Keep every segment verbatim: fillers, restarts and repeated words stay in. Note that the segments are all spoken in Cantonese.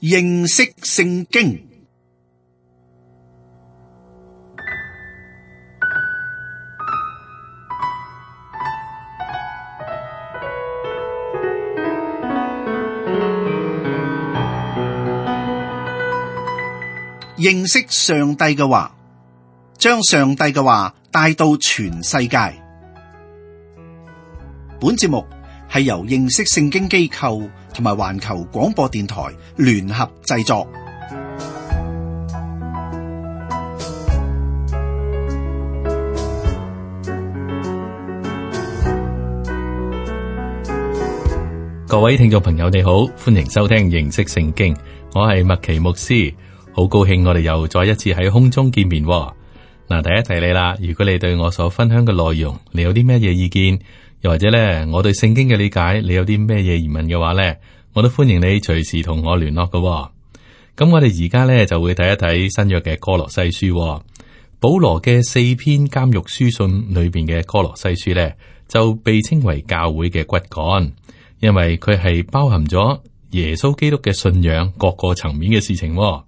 認識聖經。認識上帝嘅話，將上帝嘅話帶到全世界。本節目係由認識聖經機構同埋環球廣播電台聯合製作。各位聽眾朋友，你好，歡迎收聽認識聖經，我係麥奇牧師。好高興我哋又再一次喺空中見面喎。嗱，第一提你啦，如果你對我所分享嘅內容，你有啲咩嘢意見，又或者咧我對聖經嘅理解，你有啲咩嘢疑問嘅話咧，我都歡迎你隨時同我聯絡㗎喎。咁我哋而家咧就會睇一睇新約嘅歌羅西書喎。保羅嘅四篇監獄書信裏邊嘅歌羅西書咧，就被稱為教會嘅骨幹，因為佢係包含咗耶穌基督嘅信仰各個層面嘅事情喎。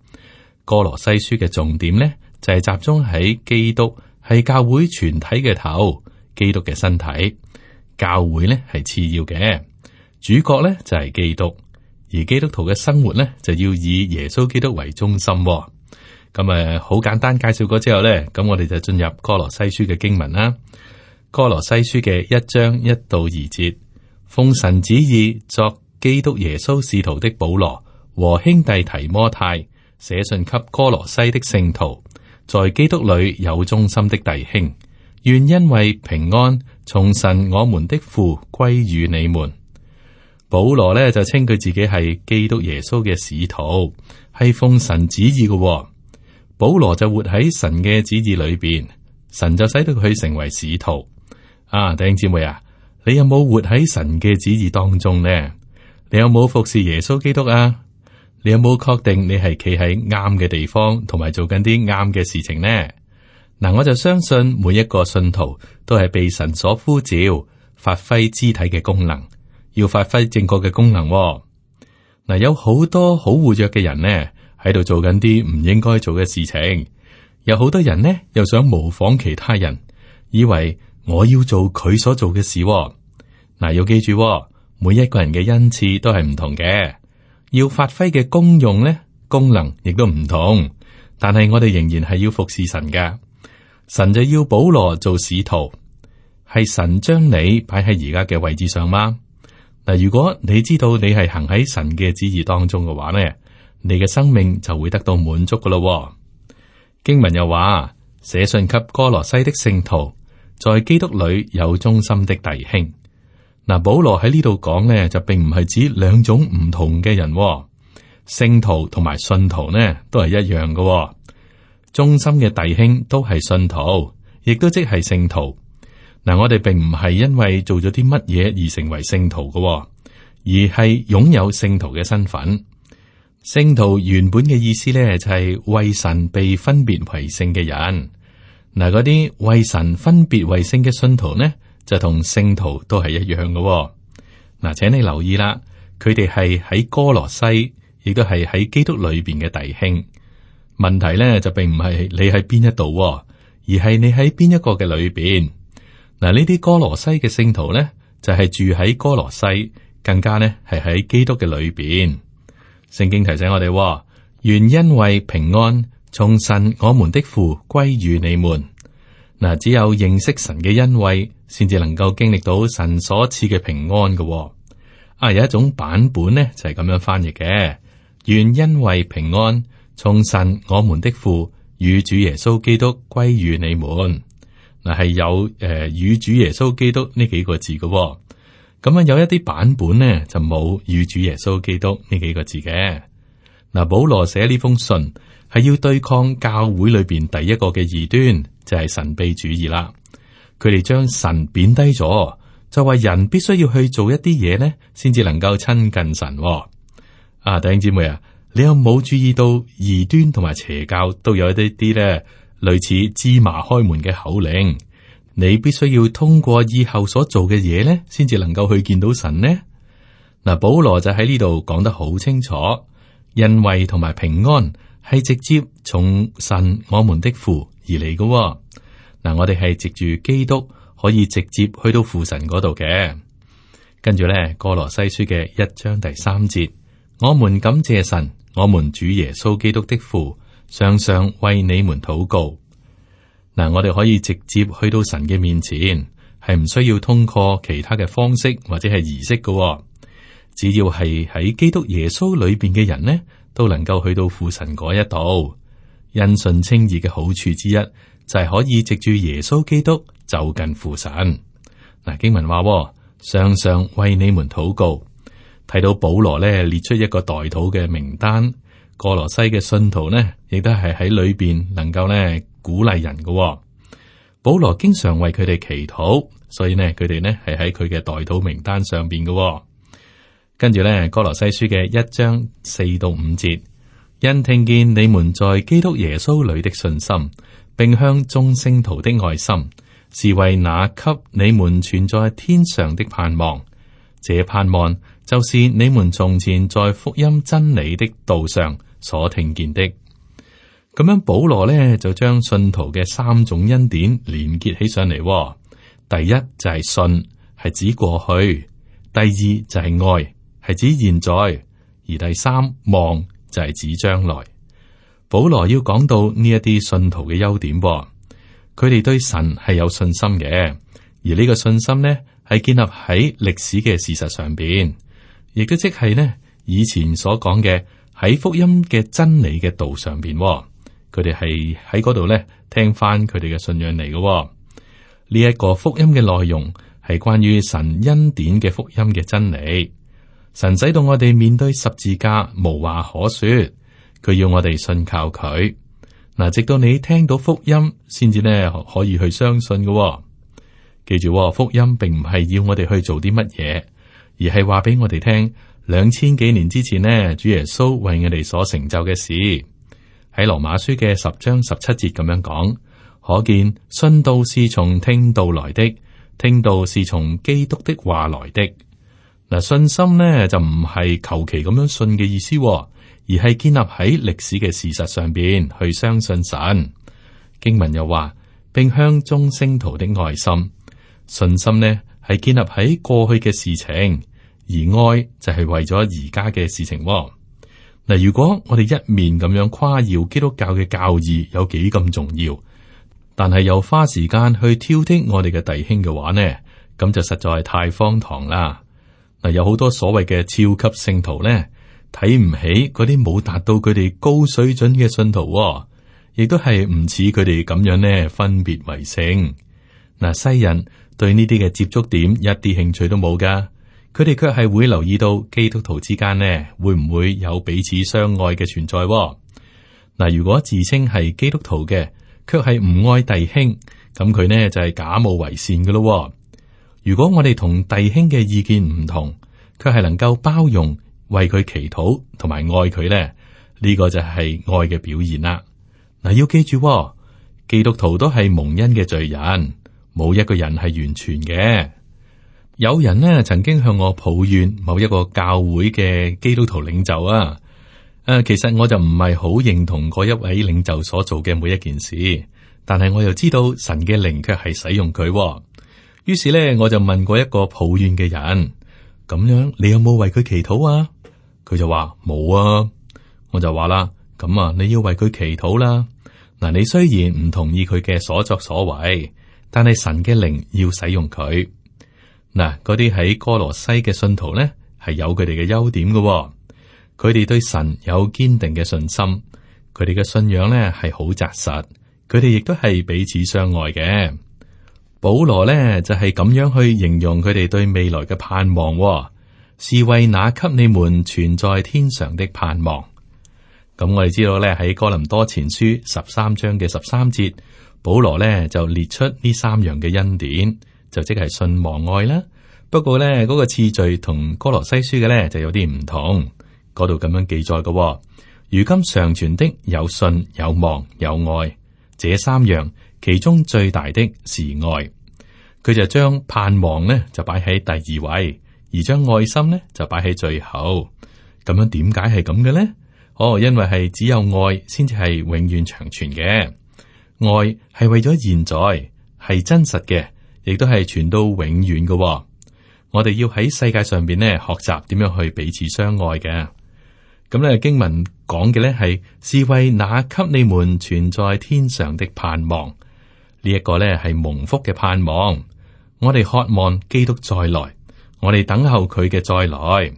歌羅西書嘅重點呢，就係集中喺基督係教會全體嘅頭，基督嘅身體，教會呢係次要嘅，主角呢就係基督，而基督徒嘅生活呢，就要以耶穌基督為中心。咁誒，好簡單介紹過之後呢，咁我哋就進入歌羅西書嘅經文啦。歌羅西書嘅一章一到二節，奉神旨意作基督耶穌使徒的保羅和兄弟提摩太，寫信給歌羅西的聖徒，在基督裏有忠心的弟兄，願因為平安從神我們的父歸於你們。保羅呢就稱佢自己係基督耶穌嘅使徒，係奉神旨意嘅、哦。保羅就活喺神嘅旨意裏邊，神就使到佢成為使徒。啊，弟兄姊妹啊，你有冇活喺神嘅旨意當中呢？你有冇服侍耶穌基督啊？你有冇確定你係企喺啱嘅地方，同埋做緊啲啱嘅事情呢？嗱，我就相信每一個信徒都係被神所呼召，發揮肢體嘅功能，要發揮正確嘅功能、哦。嗱，有好多好活躍嘅人呢，喺度做緊啲唔應該做嘅事情。有好多人呢，又想模仿其他人，以為我要做佢所做嘅事、哦。嗱，要記住、哦，每一個人嘅恩賜都係唔同嘅。要發揮嘅功用咧，功能亦都唔同，但係我哋仍然係要服侍神㗎。神就要保羅做使徒，係神將你擺喺而家嘅位置上嗎？嗱，如果你知道你係行喺神嘅旨意當中嘅話咧，你嘅生命就會得到滿足噶咯。經文又話，寫信給歌羅西的聖徒，在基督裏有忠心的弟兄。嗱，保羅喺呢度講咧，就並唔係指兩種唔同嘅人、哦，聖徒同埋信徒呢都係一樣嘅、哦。忠心嘅弟兄都係信徒，亦都即係聖徒。嗱，我哋並唔係因為做咗啲乜嘢而成為聖徒嘅、哦，而係擁有聖徒嘅身份。聖徒原本嘅意思咧，就係為神被分別為聖嘅人。嗱，嗰啲為神分別為聖嘅信徒呢，就同聖徒都係一樣嘅、哦。嗱，請你留意啦，佢哋係喺歌羅西，亦都係喺基督裏邊嘅弟兄。問題咧就並唔係你喺邊一度，而係你喺邊一個嘅裏邊。嗱，呢啲歌羅西嘅聖徒咧，就係、是、住喺歌羅西，更加咧係喺基督嘅裏邊。聖經提醒我哋，願因為平安從神我們的父歸於你們。嗱，只有認識神嘅恩惠，先至能夠經歷到神所賜嘅平安嘅、哦。啊，有一種版本呢，就係、是、咁樣翻譯嘅：願因為平安從神我們的父與主耶穌基督歸於你們。嗱，係有誒與主耶穌基督呢幾個字嘅、哦。咁啊，有一啲版本呢，就冇與主耶穌基督呢幾個字嘅。嗱，保羅寫呢封信係要對抗教會裏邊第一個嘅異端，就係神秘主義啦。佢哋將神貶低咗，就話人必須要去做一啲嘢咧，先至能夠親近神。啊，弟兄姊妹啊，你有冇注意到異端同埋邪教都有一啲啲咧類似芝麻開門嘅口令？你必須要通過以後所做嘅嘢咧，先至能夠去見到神呢？嗱，保羅就喺呢度講得好清楚，恩惠同埋平安係直接從神我們的父而嚟嘅，哦。嗱，我哋係藉住基督可以直接去到父神嗰度嘅。跟住咧，歌羅西書嘅一章第三節，我們感謝神，我們主耶穌基督的父，常常為你們禱告。嗱，我哋可以直接去到神嘅面前，係唔需要通過其他嘅方式或者係儀式嘅，哦。只要係喺基督耶穌裏邊嘅人呢，都能夠去到父神嗰一度。因信稱義嘅好處之一就係可以藉住耶穌基督就近父神。嗱，經文話，常常為你們禱告。睇到保羅咧列出一個代禱嘅名單，歌羅西嘅信徒呢，亦都係喺裏邊能夠咧鼓勵人嘅，哦。保羅經常為佢哋祈禱，所以呢，佢哋呢係喺佢嘅代禱名單上邊嘅，哦。跟住咧，歌羅西書嘅一章四到五節，因聽見你們在基督耶穌裏的信心，並向眾聖徒的愛心，是為那給你們存在天上的盼望。這盼望就是你們從前在福音真理的道上所聽見的。咁樣保羅呢就將信徒嘅三種恩典連結起上嚟，哦。第一就係信，係指過去；第二就係愛，係指現在；而第三望就係指將來。保羅要講到呢一啲信徒嘅優點，哦，佢哋對神係有信心嘅，而呢個信心呢係建立喺歷史嘅事實上邊，亦都即係呢以前所講嘅喺福音嘅真理嘅道上邊，哦。佢哋係喺嗰度咧聽翻佢哋嘅信仰嚟嘅，哦。呢、這、一個福音嘅內容係關於神恩典嘅福音嘅真理。神使到我哋面對十字架無話可說，佢要我哋信靠佢。嗱，直到你聽到福音，先至咧可以去相信嘅，哦。記住，哦，福音並唔係要我哋去做啲乜嘢，而係話俾我哋聽兩千幾年之前呢，主耶穌為我哋所成就嘅事。喺羅馬書嘅十章十七節咁樣講，可見信道是從聽道來的，聽道是從基督的話來的。嗱，信心呢就唔係求其咁樣信嘅意思，而係建立喺歷史嘅事實上邊去相信神。經文又話，並向眾聖徒的愛心，信心呢係建立喺過去嘅事情，而愛就係為咗而家嘅事情。嗱，如果我哋一面咁樣誇耀基督教嘅教義有幾咁重要，但係又花時間去挑剔我哋嘅弟兄嘅話呢，咁就實在係太荒唐啦。嗱，有好多所謂嘅超級聖徒呢，睇唔起嗰啲冇達到佢哋高水準嘅信徒，亦都係唔似佢哋咁樣呢分別為聖。嗱，西人對呢啲嘅接觸點一啲興趣都冇噶。佢哋卻係會留意到基督徒之間呢，會唔會有彼此相愛嘅存在？嗱，如果自稱係基督徒嘅，卻係唔愛弟兄，咁佢呢就係假冒為善嘅咯。如果我哋同弟兄嘅意見唔同，卻係能夠包容、為佢祈禱同埋愛佢呢，呢個就係愛嘅表現啦。嗱，要記住，基督徒都係蒙恩嘅罪人，冇一個人係完全嘅。有人呢曾經向我抱怨某一個教會嘅基督徒領袖啊，誒，其實我就唔係好認同嗰一位領袖所做嘅每一件事，但係我又知道神嘅靈卻係使用佢。於是呢，我就問過一個抱怨嘅人，咁樣你有冇為佢祈禱啊？佢就話冇啊。我就話啦，咁啊，你要為佢祈禱啦。嗱，你雖然唔同意佢嘅所作所為，但係神嘅靈要使用佢。嗱，嗰啲喺哥羅西嘅信徒呢，係有佢哋嘅優點嘅，哦。佢哋對神有堅定嘅信心，佢哋嘅信仰呢係好紮實，佢哋亦都係彼此相愛嘅。保羅呢就係、是、咁樣去形容佢哋對未來嘅盼望，哦，是為那給你們存在天上的盼望。咁我哋知道呢，喺哥林多前書十三章嘅十三節，保羅呢就列出呢三樣嘅恩典。就即係信望愛啦，不過咧嗰、那個次序同歌羅西書嘅咧就有啲唔同。嗰度咁樣記載嘅，哦，如今常存的有信有望有愛，這三樣其中最大的是愛。佢就將盼望呢就擺喺第二位，而將愛心呢就擺喺最後。咁樣點解係咁嘅咧？哦，因為係只有愛先至係永遠長存嘅，愛係為咗現在，係真實嘅，亦都係傳到永遠嘅、哦。我哋要喺世界上邊呢學習點樣去彼此相愛嘅。咁咧經文講嘅呢係是為那給你們存在天上的盼望，呢、這、一個呢係蒙福嘅盼望。我哋渴望基督再來，我哋等候佢嘅再來。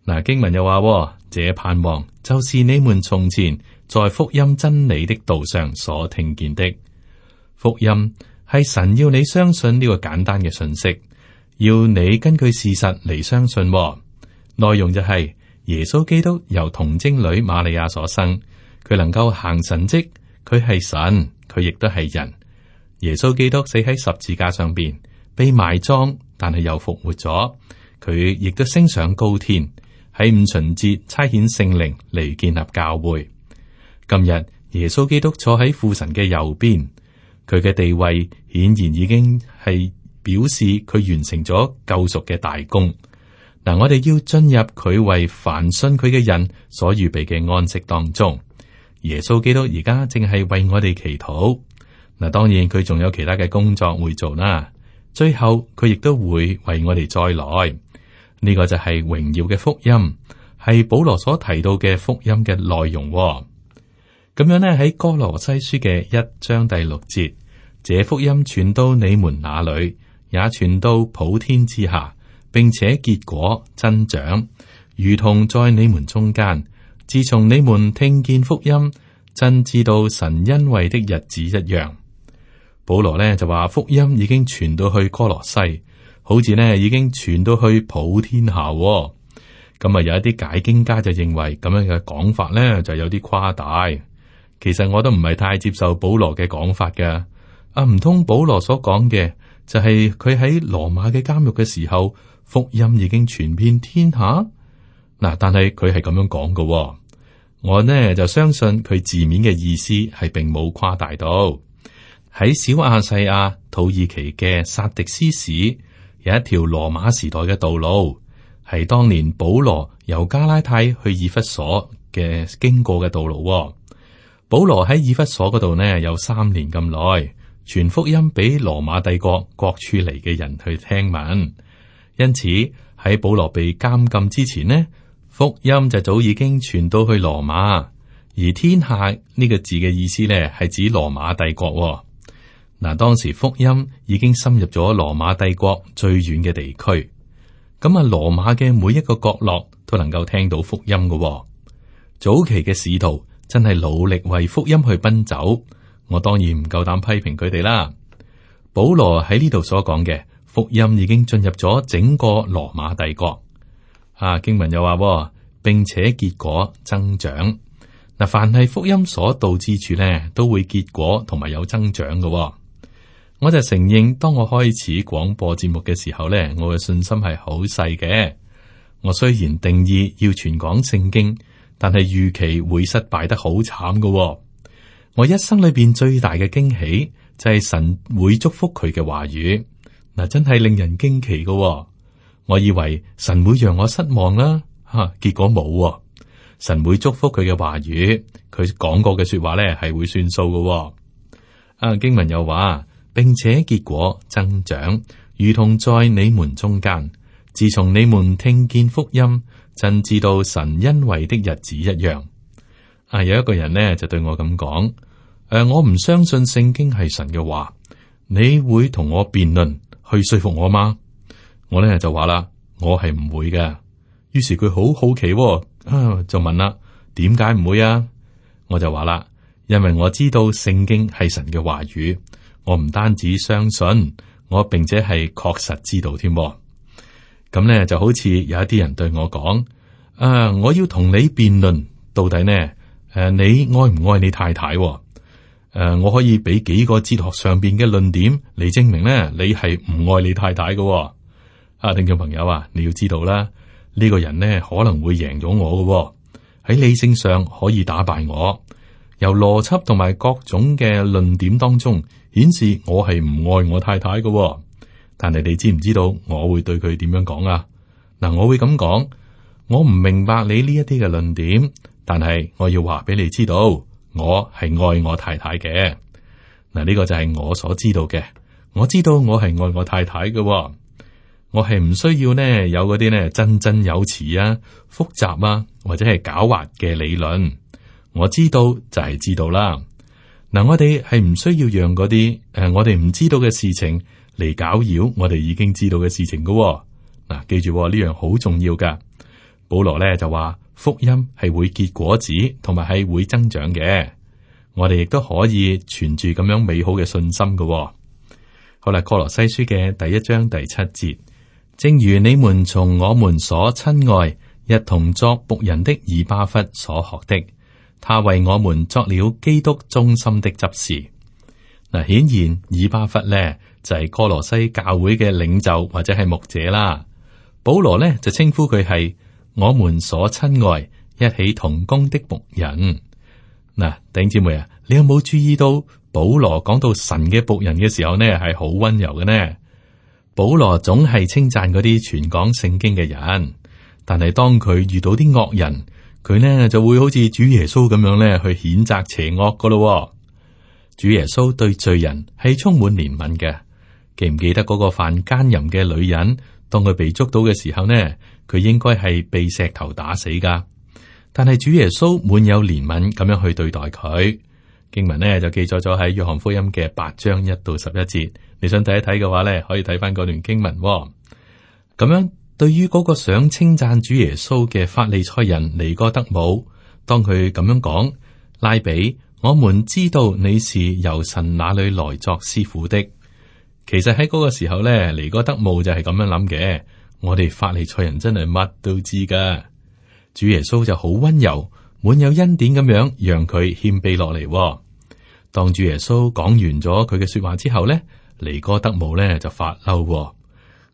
嗱，經文又話，這盼望就是你們從前在福音真理的道上所聽見的。福音係神要你相信呢個簡單嘅信息，要你根據事實嚟相信、哦。內容就係、是。耶穌基督由童貞女瑪利亞所生，佢能夠行神蹟，佢係神，佢亦都係人。耶穌基督死喺十字架上邊，被埋葬，但係又復活咗。佢亦都升上高天，喺五旬節差遣聖靈嚟建立教會。今日耶穌基督坐喺父神嘅右邊，佢嘅地位顯然已經係表示佢完成咗救贖嘅大功。嗱，我哋要進入佢為凡信佢嘅人所預備嘅安息當中。耶穌基督而家正係為我哋祈禱。嗱，當然佢仲有其他嘅工作會做啦。最後佢亦都會為我哋再來。呢、這個就係榮耀嘅福音，係保羅所提到嘅福音嘅內容。咁樣呢，喺哥羅西書嘅一章第六節，這福音傳到你們那裏，也傳到普天之下，並且結果增長，如同在你們中間。自從你們聽見福音，真知道神恩惠的日子一樣。保羅呢就話福音已經傳到去哥羅西，好似呢已經傳到去普天下。咁啊，有一啲解經家就認為咁樣嘅講法呢就有啲誇大。其實我都唔係太接受保羅嘅講法嘅。啊，唔通保羅所講嘅就係佢喺羅馬嘅監獄嘅時候，福音已經傳遍天下？嗱，但係佢係咁樣講嘅，我呢就相信佢字面嘅意思係並冇誇大到。喺小亞細亞土耳其嘅薩迪斯市有一條羅馬時代嘅道路，係當年保羅由加拉太去以弗所嘅經過嘅道路。保羅喺以弗所嗰度呢有三年咁耐，傳福音俾羅馬帝國各處嚟嘅人去聽聞。因此喺保羅被監禁之前呢，福音就早已經傳到去羅馬。而天下呢個字嘅意思呢，係指羅馬帝國。嗱，當時福音已經深入咗羅馬帝國最遠嘅地區。咁啊，羅馬嘅每一個角落都能夠聽到福音嘅。早期嘅使徒真係努力為福音去奔走。我當然唔夠膽批評佢哋啦。保羅喺呢度所講嘅福音已經進入咗整個羅馬帝國。啊，經文又話，並且結果增長。嗱，凡係福音所到之處呢，都會結果同埋有增長嘅。我就承認，當我開始廣播節目嘅時候呢，我嘅信心係好細嘅。我雖然定義要傳講聖經，但係預期會失敗得好慘嘅。我一生裏邊最大嘅驚喜就係神會祝福佢嘅話語。嗱，真係令人驚奇嘅。我以為神會讓我失望啦，吓，結果冇。神會祝福佢嘅話語，佢講過嘅說話咧係會算數嘅。啊，經文又話，並且結果增長，如同在你們中間。自從你們聽見福音，真知道神恩惠的日子一樣。啊，有一個人呢就對我咁講，誒、呃，我唔相信聖經係神嘅話，你會同我辯論去說服我嗎？我呢就話啦，我係唔會嘅。於是佢好好奇、哦，啊，就問啦，點解唔會啊？我就話啦，因為我知道聖經係神嘅話語，我唔單止相信，我並且係確實知道添。咁呢就好似有一啲人對我講，啊，我要同你辯論到底呢？誒、啊，你愛唔愛你太太？誒、啊，我可以俾幾個哲學上邊嘅論點嚟證明呢，你係唔愛你太太嘅。啊，聽眾朋友啊，你要知道啦，呢、這個人呢可能會贏咗我嘅，喺理性上可以打敗我，由邏輯同埋各種嘅論點當中顯示我係唔愛我太太嘅。但係你知唔知道我會對佢點樣講啊？嗱，我會咁講，我唔明白你呢一啲嘅論點，但係我要話俾你知道，我係愛我太太嘅。嗱，呢個就係我所知道嘅。我知道我係愛我太太嘅，我係唔需要呢有嗰啲呢振振有詞啊、複雜啊或者係狡猾嘅理論。我知道就係知道啦。嗱，我哋係唔需要讓嗰啲誒我哋唔知道嘅事情嚟攪擾我哋已經知道嘅事情嘅。嗱，記住呢樣好重要噶。保羅咧就話福音係會結果子，同埋係會增長嘅。我哋亦都可以存住咁樣美好嘅信心嘅。好啦，歌羅西書嘅第一章第七節，正如你們從我們所親愛一同作僕人的以巴弗所學的，他為我們作了基督忠心的執事。嗱，顯然以巴弗咧就係歌羅西教會嘅領袖或者係牧者啦。保羅咧就稱呼佢係我們所親愛一起同工的僕人。嗱，弟兄姊妹啊，你有冇注意到保羅講到神嘅僕人嘅時候呢，係好溫柔嘅呢？保羅總係稱讚嗰啲傳講聖經嘅人，但係當佢遇到啲惡人，佢呢就會好似主耶穌咁樣咧去譴責邪惡噶咯。主耶穌對罪人係充滿憐憫嘅。記唔記得嗰個犯奸淫嘅女人，當佢被捉到嘅時候呢，佢應該係被石頭打死噶。但係主耶穌滿有憐憫咁樣去對待佢。經文呢就記載咗喺約翰福音嘅八章一到十一節。你想睇一睇嘅話呢，可以睇翻嗰段經文。咁樣對於嗰個想稱讚主耶穌嘅法利賽人尼哥德姆，當佢咁樣講，拉比，我們知道你是由神那裏來作師傅的。其實喺嗰個時候呢，尼哥德姆就係咁樣諗嘅。我哋法利賽人真係乜都知噶。主耶穌就好溫柔，滿有恩典咁樣，讓佢謙卑落嚟。當主耶穌講完咗佢嘅說話之後呢，尼哥德姆呢就發嬲。嗰、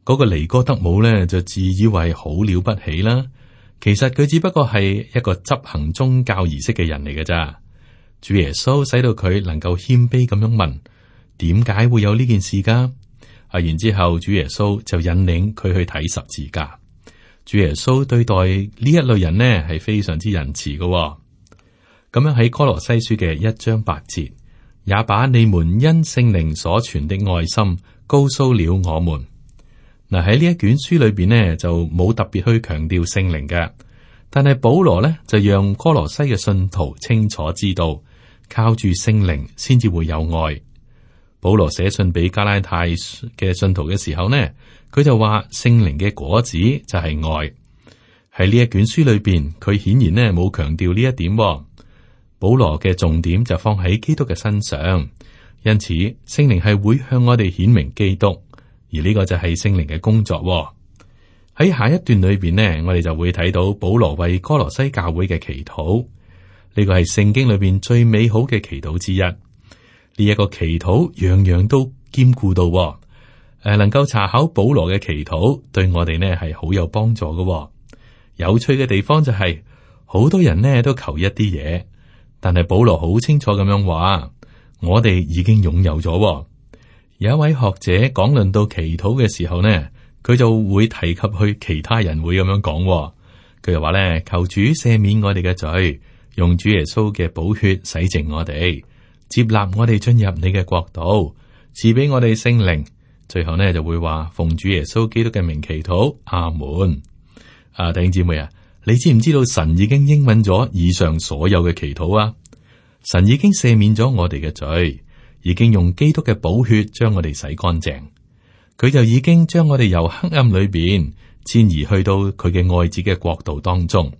那個尼哥德姆呢就自以為好了不起啦。其實佢只不過係一個執行宗教儀式嘅人嚟嘅咋。主耶穌使到佢能夠謙卑咁樣問，點解會有呢件事噶？啊，然之後主耶穌就引領佢去睇十字架。主耶穌對待呢一類人呢係非常之仁慈嘅。咁樣喺歌羅西書嘅一章八節，也把你們因聖靈所存的愛心告訴了我們。嗱，喺呢一卷書裏邊呢就冇特別去強調聖靈嘅，但係保羅呢就讓歌羅西嘅信徒清楚知道，靠住聖靈先至會有愛。保羅寫信俾加拉太嘅信徒嘅時候呢，佢就話聖靈嘅果子就係愛。喺呢一卷書裏邊，佢顯然呢冇強調呢一點。保羅嘅重點就放喺基督嘅身上，因此聖靈係會向我哋顯明基督，而呢個就係聖靈嘅工作。喺下一段裏邊呢，我哋就會睇到保羅為歌羅西教會嘅祈禱，呢個係聖經裏邊最美好嘅祈禱之一。呢一個祈禱樣樣都兼顧到，誒，能夠查考保羅嘅祈禱，對我哋呢係好有幫助嘅。有趣嘅地方就係、是，好多人呢都求一啲嘢，但係保羅好清楚咁樣話，我哋已經擁有咗。有一位學者講論到祈禱嘅時候呢，佢就會提及去其他人會咁樣講，佢就話咧，求主赦免我哋嘅罪，用主耶穌嘅寶血洗淨我哋。接納我哋進入你嘅國度，賜俾我哋聖靈。最後呢就會話奉主耶穌基督嘅名祈禱，阿門。啊，弟兄姊妹啊，你知唔知道神已經應允咗以上所有嘅祈禱啊？神已經赦免咗我哋嘅罪，已經用基督嘅寶血將我哋洗乾淨。佢就已經將我哋由黑暗裏邊遷移去到佢嘅愛子嘅國度當中。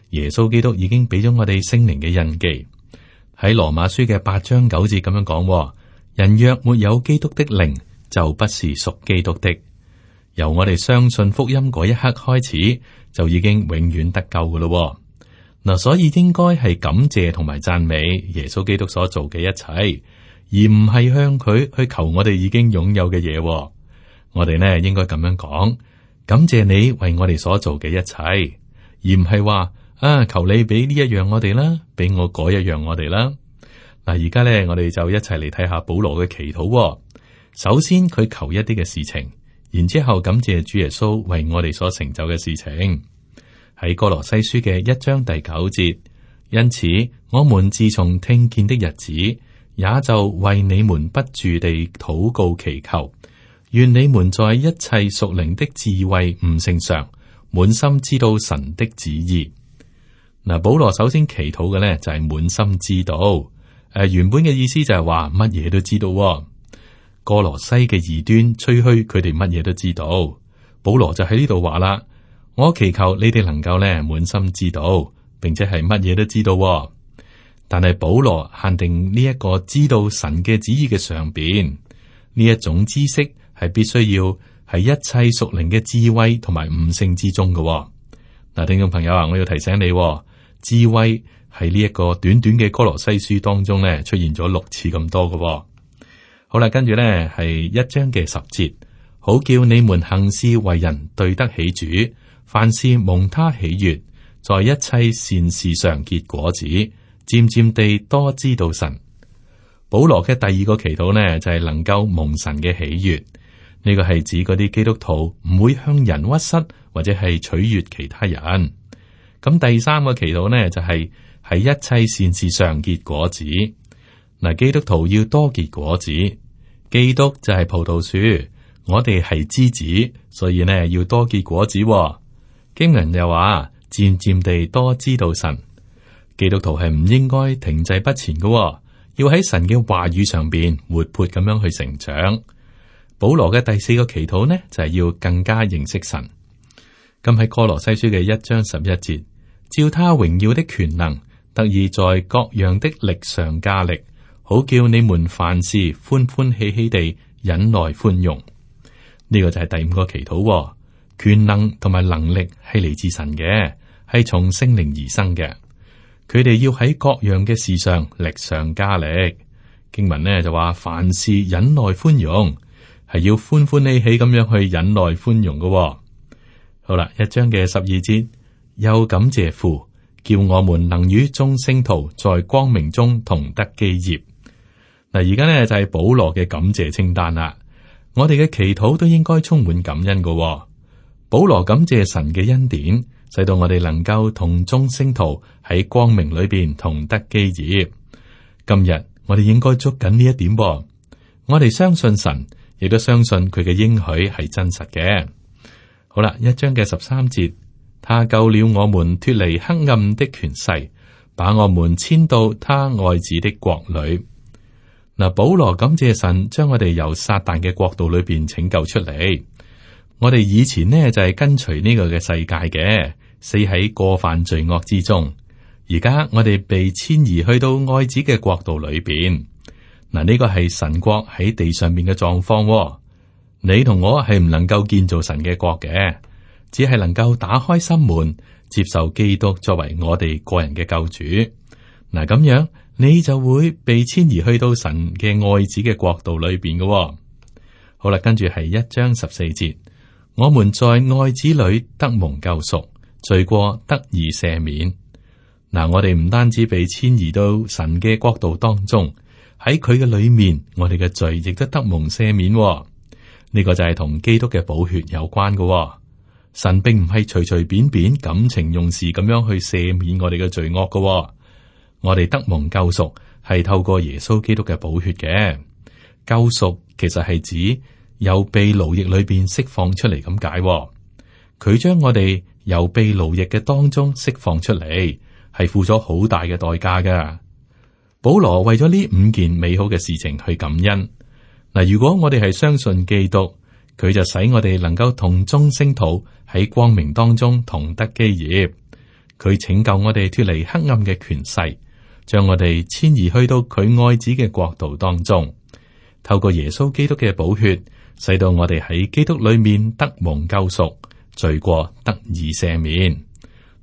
耶穌基督已經俾咗我哋聖靈嘅印記。喺羅馬書嘅八章九節咁樣講，人若沒有基督的靈，就不是屬基督的。由我哋相信福音嗰一刻開始，就已經永遠得救噶咯。嗱，所以應該係感謝同埋讚美耶穌基督所做嘅一切，而唔係向佢去求我哋已經擁有嘅嘢。我哋呢應該咁樣講，感謝你為我哋所做嘅一切，而唔係話。啊！求你俾呢一樣我哋啦，俾我嗰一樣我哋啦。嗱，而家咧，我哋就一齊嚟睇下保羅嘅祈禱。首先，佢求一啲嘅事情，然之後感謝主耶穌為我哋所成就嘅事情。喺歌羅西書嘅一章第九節，因此，我們自從聽見的日子，也就為你們不住地禱告祈求，願你們在一切屬靈的智慧悟性上，滿心知道神的旨意。嗱，保羅首先祈禱嘅咧就係滿心知道。誒、呃，原本嘅意思就係話乜嘢都知道、哦。哥羅西嘅異端吹噓佢哋乜嘢都知道，保羅就喺呢度話啦：我祈求你哋能夠咧滿心知道，並且係乜嘢都知道、哦。但係保羅限定呢一個知道神嘅旨意嘅上邊，呢一種知識係必須要喺一切屬靈嘅智慧同埋悟性之中嘅、哦。嗱，聽眾朋友啊，我要提醒你、哦，智慧喺呢一個短短嘅哥羅西書當中咧出現咗六次咁多嘅、哦。好啦，跟住咧係一章嘅十節，好叫你們行事為人對得起主，凡事蒙他喜悅，在一切善事上結果子，漸漸地多知道神。保羅嘅第二個祈禱呢，就係、是、能夠蒙神嘅喜悅，呢、這個係指嗰啲基督徒唔會向人屈膝或者係取悅其他人。咁第三個祈禱呢，就係、是、喺一切善事上結果子。嗱，基督徒要多結果子，基督就係葡萄樹，我哋係枝子，所以呢要多結果子。經文又話，漸漸地多知道神。基督徒係唔應該停滯不前嘅，要喺神嘅話語上邊活潑咁樣去成長。保羅嘅第四個祈禱呢，就係、是、要更加認識神。咁喺哥羅西書嘅一章十一節，照他榮耀的權能，得以在各樣的力上加力，好叫你們凡事歡歡喜喜地忍耐寬容。呢、這個就係第五個祈禱。權能同埋能力係嚟自神嘅，係從聖靈而生嘅。佢哋要喺各樣嘅事上力上加力。經文呢就話，凡事忍耐寬容，係要歡歡喜喜咁樣去忍耐寬容嘅。好啦，一章嘅十二節，又感謝父，叫我們能與眾聖徒在光明中同得基業。嗱，而家呢就係保羅嘅感謝清單啦。我哋嘅祈禱都應該充滿感恩嘅。保羅感謝神嘅恩典，使到我哋能夠同眾聖徒喺光明裏邊同得基業。今日我哋應該捉緊呢一點噃。我哋相信神，亦都相信佢嘅應許係真實嘅。好啦，一章嘅十三節，他救了我們脫離黑暗的權勢，把我們遷到他愛子的國裏。嗱，保羅感謝神將我哋由撒旦嘅國度裏邊拯救出嚟。我哋以前呢就係跟隨呢個嘅世界嘅，死喺過犯罪惡之中。而家我哋被遷移去到愛子嘅國度裏邊。嗱，呢個係神國喺地上面嘅狀況。你同我係唔能夠建造神嘅國嘅，只係能夠打開心門，接受基督作為我哋個人嘅救主。嗱，咁樣你就會被遷移去到神嘅愛子嘅國度裏邊嘅。好啦，跟住係一章十四節。我們在愛子裏得蒙救贖，罪過得以赦免。嗱，我哋唔單止被遷移到神嘅國度當中，喺佢嘅裏面，我哋嘅罪亦都得蒙赦免。呢個就係同基督嘅寶血有關嘅。神並唔係隨隨便便感情用事咁樣去赦免我哋嘅罪惡嘅。我哋得蒙救贖係透過耶穌基督嘅寶血嘅。救贖其實係指由被奴役裏邊釋放出嚟咁解，佢將我哋由被奴役嘅當中釋放出嚟，係付咗好大嘅代價噶。保羅為咗呢五件美好嘅事情去感恩。嗱，如果我哋係相信基督，佢就使我哋能夠同眾聖徒喺光明當中同得基業。佢拯救我哋脫離黑暗嘅權勢，將我哋遷移去到佢愛子嘅國度當中，透過耶穌基督嘅寶血，使到我哋喺基督裏面得蒙救贖，罪過得以赦免。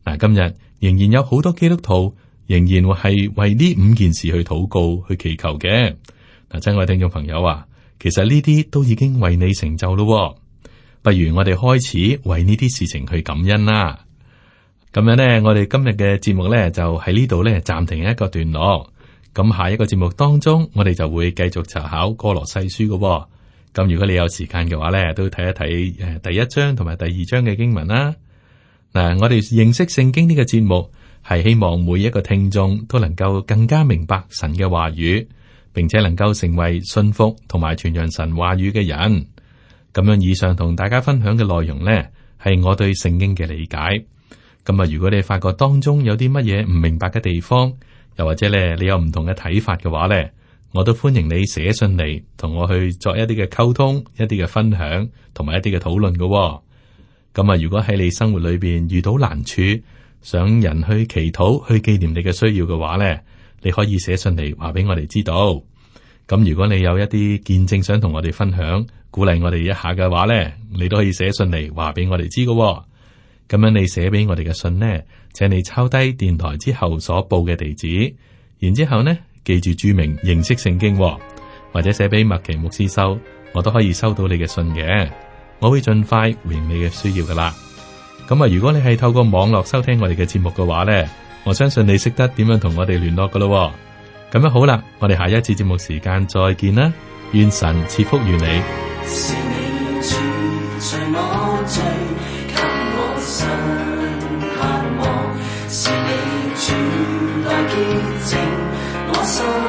嗱，今日仍然有好多基督徒仍然係為呢五件事去禱告、去祈求嘅。嗱，親愛嘅聽眾朋友啊，其實呢啲都已經為你成就咯。不如我哋開始為呢啲事情去感恩啦。咁樣呢，我哋今日嘅節目呢，就喺呢度呢暫停一個段落。咁下一個節目當中，我哋就會繼續查考歌羅西書嘅。咁如果你有時間嘅話咧，都睇一睇誒第一章同埋第二章嘅經文啦。嗱，我哋認識聖經呢個節目係希望每一個聽眾都能夠更加明白神嘅話語，並且能夠成為信服同埋傳揚神話語嘅人。咁樣以上同大家分享嘅內容呢，係我對聖經嘅理解。咁啊，如果你發覺當中有啲乜嘢唔明白嘅地方，又或者咧你有唔同嘅睇法嘅話咧，我都歡迎你寫信嚟同我去作一啲嘅溝通、一啲嘅分享同埋一啲嘅討論嘅。咁啊，如果喺你生活裏邊遇到難處，想人去祈禱、去紀念你嘅需要嘅話咧，你可以寫信嚟話俾我哋知道。咁如果你有一啲見證想同我哋分享，鼓勵我哋一下嘅話咧，你都可以寫信嚟話俾我哋知嘅。咁樣你寫俾我哋嘅信呢，請你抄低電台之後所報嘅地址，然之後呢記住注明認識聖經，或者寫俾麥奇牧師收，我都可以收到你嘅信嘅。我會盡快回應你嘅需要噶啦。咁啊，如果你係透過網絡收聽我哋嘅節目嘅話呢，我相信你識得點樣同我哋聯絡噶咯。咁樣好啦，我哋下一次節目時間再見啦，願神賜福於你。是你住在我最給我新盼望，是你主來潔淨我心。